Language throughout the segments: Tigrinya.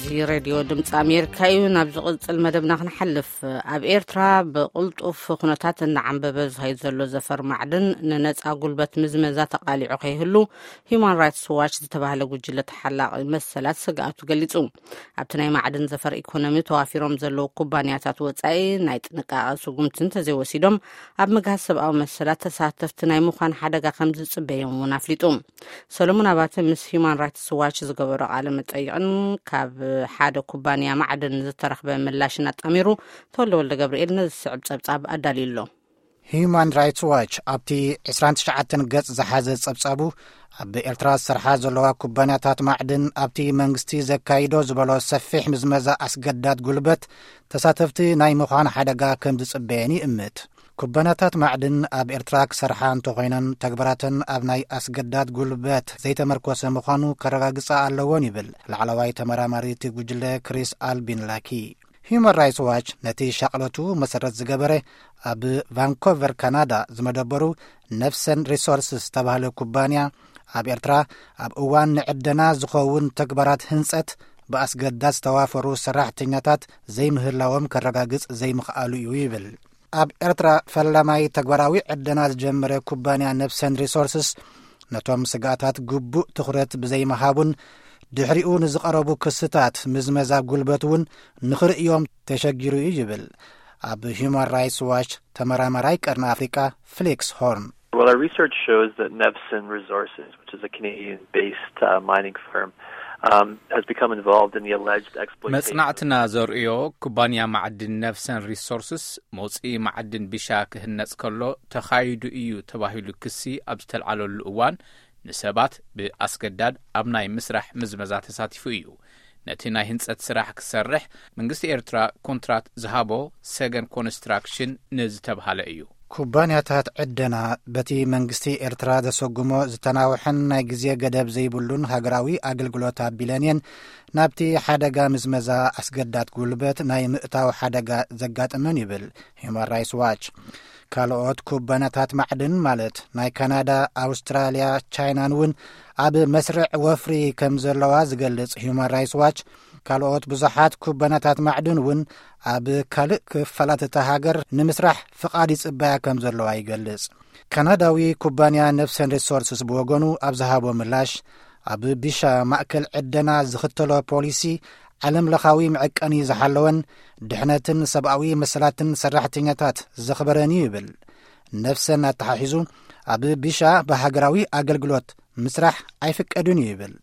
እዚ ሬድዮ ድምፂ ኣሜሪካ እዩ። ናብ ዝቕፅል መደብና ክንሓልፍ፣ ኣብ ኤርትራ ብቕልጡፍ ኩነታት እናዓንበበ ዝኸይድ ዘሎ ዘፈር ማዕድን ንነፃ ጉልበት ምዝመዛ ተቓሊዑ ከይህሉ፣ ሂዩማን ራይትስ ዋች ዝተባህለ ጉጅለ ተሓላቒ መሰላት ስግኣቱ ገሊጹ። ኣብቲ ናይ ማዕድን ዘፈር ኢኮኖሚ ተዋፊሮም ዘለዉ ኩባንያታት ወጻኢ ናይ ጥንቃቐ ስጉምቲ እንተዘይወሲዶም፣ ኣብ ምግሃስ ሰብኣዊ መሰላት ተሳተፍቲ ናይ ምዃን ሓደጋ ከም ዝጽበዮም እውን ኣፍሊጡ። ሰሎሞን ኣባተ ምስ ሂዩማን ራይትስ ዋች ዝገበሮ ቃለ መጠይቕን ካብ ሓደ ኩባንያ ማዕድን ዝተረኽበ ምላሽን ኣጣሚሩ፣ ተወልደ ወልደ ገብርኤል ነዚ ዝስዕብ ጸብጻብ ኣዳልዩ ኣሎ። ሂዩማን ራይትስ ዋች ኣብቲ ዕስራን ትሽዓተን ገጽ ዝሓዘ ጸብጻቡ፣ ኣብ ኤርትራ ዝሰርሓ ዘለዋ ኩባንያታት ማዕድን ኣብቲ መንግስቲ ዘካይዶ ዝበሎ ሰፊሕ ምዝመዛ ኣስገዳድ ጉልበት ተሳተፍቲ ናይ ምዃን ሓደጋ ከም ዝጽበየን ይእምት። ኩባንያታት ማዕድን ኣብ ኤርትራ ክሰርሓ እንተኾይነን፣ ተግባራተን ኣብ ናይ ኣስገዳድ ጉልበት ዘይተመርኮሰ ምዃኑ ከረጋግጻ ኣለዎን ይብል ላዕለዋይ ተመራማሪ እቲ ጉጅለ ክሪስ ኣልቢን ላኪ። ሂዩማን ራይትስ ዋች ነቲ ሻቕለቱ መሰረት ዝገበረ ኣብ ቫንኮቨር ካናዳ ዝመደበሩ ነፍሰን ሪሶርስስ ዝተባህለ ኩባንያ፣ ኣብ ኤርትራ ኣብ እዋን ንዕደና ዝኸውን ተግባራት ህንጸት ብኣስገዳድ ዝተዋፈሩ ሰራሕተኛታት ዘይምህላዎም ከረጋግጽ ዘይምኽኣሉ እዩ ይብል። ኣብ ኤርትራ ፈላማይ ተግባራዊ ዕደና ዝጀመረ ኩባንያ ነፍሰን ሪሶርስስ፣ ነቶም ስግኣታት ግቡእ ትኹረት ብዘይምሃቡን ድሕሪኡ ንዝቐረቡ ክስታት ምዝመዛ ጉልበት እውን ንኽርእዮም ተሸጊሩ እዩ ይብል ኣብ ሂዩማን ራይትስ ዋች ተመራማራይ ቀርኒ ኣፍሪቃ ፍሊክስ ሆርን። Well, our research shows that Nevson Resources, which is a Canadian-based uh, mining firm, um, has become involved in the alleged exploitation. መጽናዕትና ዘርእዮ ኩባንያ ማዕድን ነፍሰን ሪሶርስስ መውጽኢ ማዕድን ቢሻ ክህነጽ ከሎ ተኻይዱ እዩ ተባሂሉ ክሲ ኣብ ዝተልዓለሉ እዋን፣ ንሰባት ብኣስገዳድ ኣብ ናይ ምስራሕ ምዝመዛ ተሳቲፉ እዩ። ነቲ ናይ ህንጸት ስራሕ ክሰርሕ መንግስቲ ኤርትራ ኮንትራት ዝሃቦ ሰገን ኮንስትራክሽን ንዝተብሃለ እዩ። ኩባንያታት ዕደና በቲ መንግስቲ ኤርትራ ዘሰጉሞ ዝተናውሐን ናይ ግዜ ገደብ ዘይብሉን ሃገራዊ ኣገልግሎት ኣቢለን እየን ናብቲ ሓደጋ ምዝመዛ ኣስገዳድ ጉልበት ናይ ምእታው ሓደጋ ዘጋጠመን ይብል ሂዩማን ራይትስ ዋች። ካልኦት ኩባንያታት ማዕድን ማለት ናይ ካናዳ፣ ኣውስትራልያ፣ ቻይናን እውን ኣብ መስርዕ ወፍሪ ከም ዘለዋ ዝገልጽ ሂዩማን ራይትስ ዋች፣ ካልኦት ብዙሓት ኩባንያታት ማዕድን እውን ኣብ ካልእ ክፋላት እታ ሃገር ንምስራሕ ፍቓድ ይጽበያ ከም ዘለዋ ይገልጽ። ካናዳዊ ኩባንያ ነፍሰን ሪሶርስስ ብወገኑ ኣብ ዝሃቦ ምላሽ፣ ኣብ ቢሻ ማእከል ዕደና ዝኽተሎ ፖሊሲ ዓለም ለኻዊ መዐቀኒ ዝሓለወን ድሕነትን ሰብኣዊ መሰላትን ሰራሕተኛታት ዘኽበረን እዩ ይብል። ነፍሰን ኣተሓሒዙ፣ ኣብ ቢሻ ብሃገራዊ ኣገልግሎት ምስራሕ ኣይፍቀድን እዩ ይብል።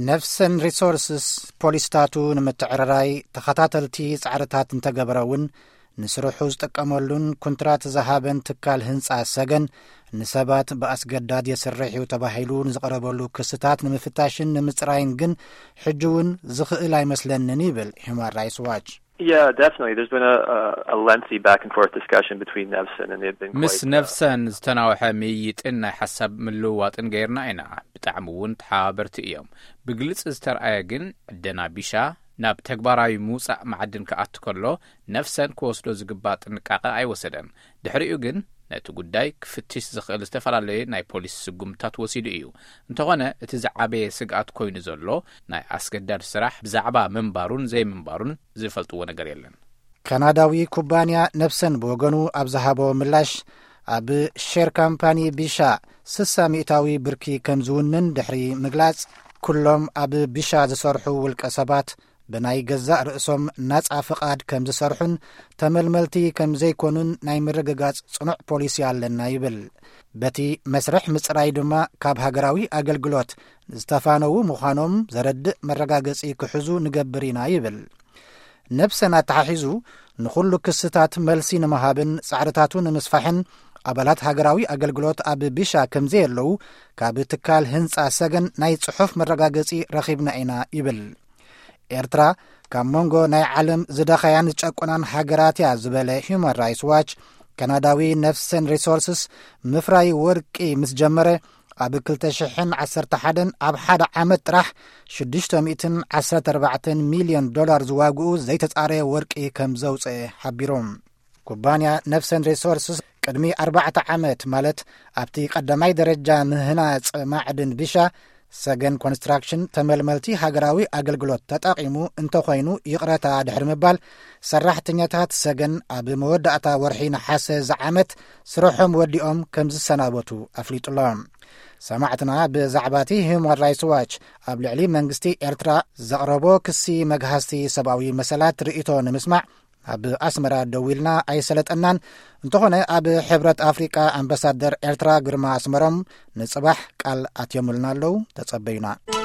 ነፍሰን ሪሶርስስ ፖሊስታቱ ንምትዕርራይ ተኸታተልቲ ጻዕርታት እንተገበረ እውን፣ ንስርሑ ዝጥቀመሉን ኩንትራት ዝሃበን ትካል ህንጻ ሰገን ንሰባት ብኣስገዳድ የስርሕ እዩ ተባሂሉ ንዝቐረበሉ ክስታት ንምፍታሽን ንምጽራይን ግን ሕጂ እውን ዝኽእል ኣይመስለንን ይብል ሂዩማን ራይትስ ዋች። Yeah, definitely. There's been a, a, a lengthy back and forth discussion between Nevson and they've been ምስ quite, uh, ነፍሰን ዝተናውሐ ምይይጥን ናይ ሓሳብ ምልውዋጥን ገይርና ኢና። ብጣዕሚ እውን ተሓባበርቲ እዮም። ብግልጽ ዝተርኣየ ግን ዕደና ቢሻ ናብ ተግባራዊ ምውጻእ መዓድን ክኣቱ ከሎ ነፍሰን ክወስዶ ዝግባእ ጥንቃቐ ኣይወሰደን። ድሕሪኡ ግን ነቲ ጉዳይ ክፍትሽ ዝኽእል ዝተፈላለየ ናይ ፖሊስ ስጉምትታት ወሲዱ እዩ። እንተኾነ እቲ ዝዓበየ ስግኣት ኮይኑ ዘሎ ናይ ኣስገዳድ ስራሕ ብዛዕባ ምንባሩን ዘይምንባሩን ዝፈልጥዎ ነገር የለን። ካናዳዊ ኩባንያ ነፍሰን ብወገኑ ኣብ ዝሃቦ ምላሽ፣ ኣብ ሼር ካምፓኒ ቢሻ ስሳ ሚእታዊ ብርኪ ከም ዝውንን ድሕሪ ምግላጽ፣ ኩሎም ኣብ ቢሻ ዝሰርሑ ውልቀ ሰባት ብናይ ገዛእ ርእሶም ናጻ ፍቓድ ከም ዝሰርሑን ተመልመልቲ ከም ዘይኮኑን ናይ ምርግጋጽ ጽኑዕ ፖሊሲ ኣለና ይብል። በቲ መስርሕ ምጽራይ ድማ ካብ ሃገራዊ ኣገልግሎት ዝተፋነዉ ምዃኖም ዘረድእ መረጋገጺ ክሕዙ ንገብር ኢና ይብል። ነፍሰን ኣተሓሒዙ፣ ንኹሉ ክስታት መልሲ ንምሃብን ጻዕርታቱ ንምስፋሕን ኣባላት ሃገራዊ ኣገልግሎት ኣብ ቢሻ ከም ዘየለዉ ካብ ትካል ህንጻ ሰገን ናይ ጽሑፍ መረጋገጺ ረኺብና ኢና ይብል። ኤርትራ ካብ መንጎ ናይ ዓለም ዝደኸያን ዝጨቆናን ሃገራት እያ ዝበለ ሂዩማን ራይትስ ዋች፣ ካናዳዊ ነፍሰን ሪሶርስስ ምፍራይ ወርቂ ምስ ጀመረ ኣብ ክልተ ሽሕን ዓሰርተ ሓደን ኣብ ሓደ ዓመት ጥራሕ ሽዱሽተ ሚእትን ዓሰርተ ኣርባዕተን ሚልዮን ዶላር ዝዋግኡ ዘይተጻረየ ወርቂ ከም ዘውጽአ ሓቢሮም። ኩባንያ ነፍሰን ሪሶርስስ ቅድሚ ኣርባዕተ ዓመት፣ ማለት ኣብቲ ቀዳማይ ደረጃ ምህናጽ ማዕድን ቢሻ ሰገን ኮንስትራክሽን ተመልመልቲ ሃገራዊ ኣገልግሎት ተጠቒሙ እንተኾይኑ ይቕረታ ድሕሪ ምባል፣ ሰራሕተኛታት ሰገን ኣብ መወዳእታ ወርሒ ነሓሰ ዝዓመት ስርሖም ወዲኦም ከም ዝሰናበቱ ኣፍሊጡሎ። ሰማዕትና ብዛዕባ እቲ ሂዩማን ራይትስ ዋች ኣብ ልዕሊ መንግስቲ ኤርትራ ዘቕረቦ ክሲ መግሃስቲ ሰብኣዊ መሰላት ርእይቶ ንምስማዕ ኣብ ኣስመራ ደዊልና ኣይሰለጠናን። እንተኾነ ኣብ ሕብረት ኣፍሪቃ ኣምባሳደር ኤርትራ ግርማ ኣስመሮም ንጽባሕ ቃል ኣትዮምልና ኣለዉ። ተጸበዩና።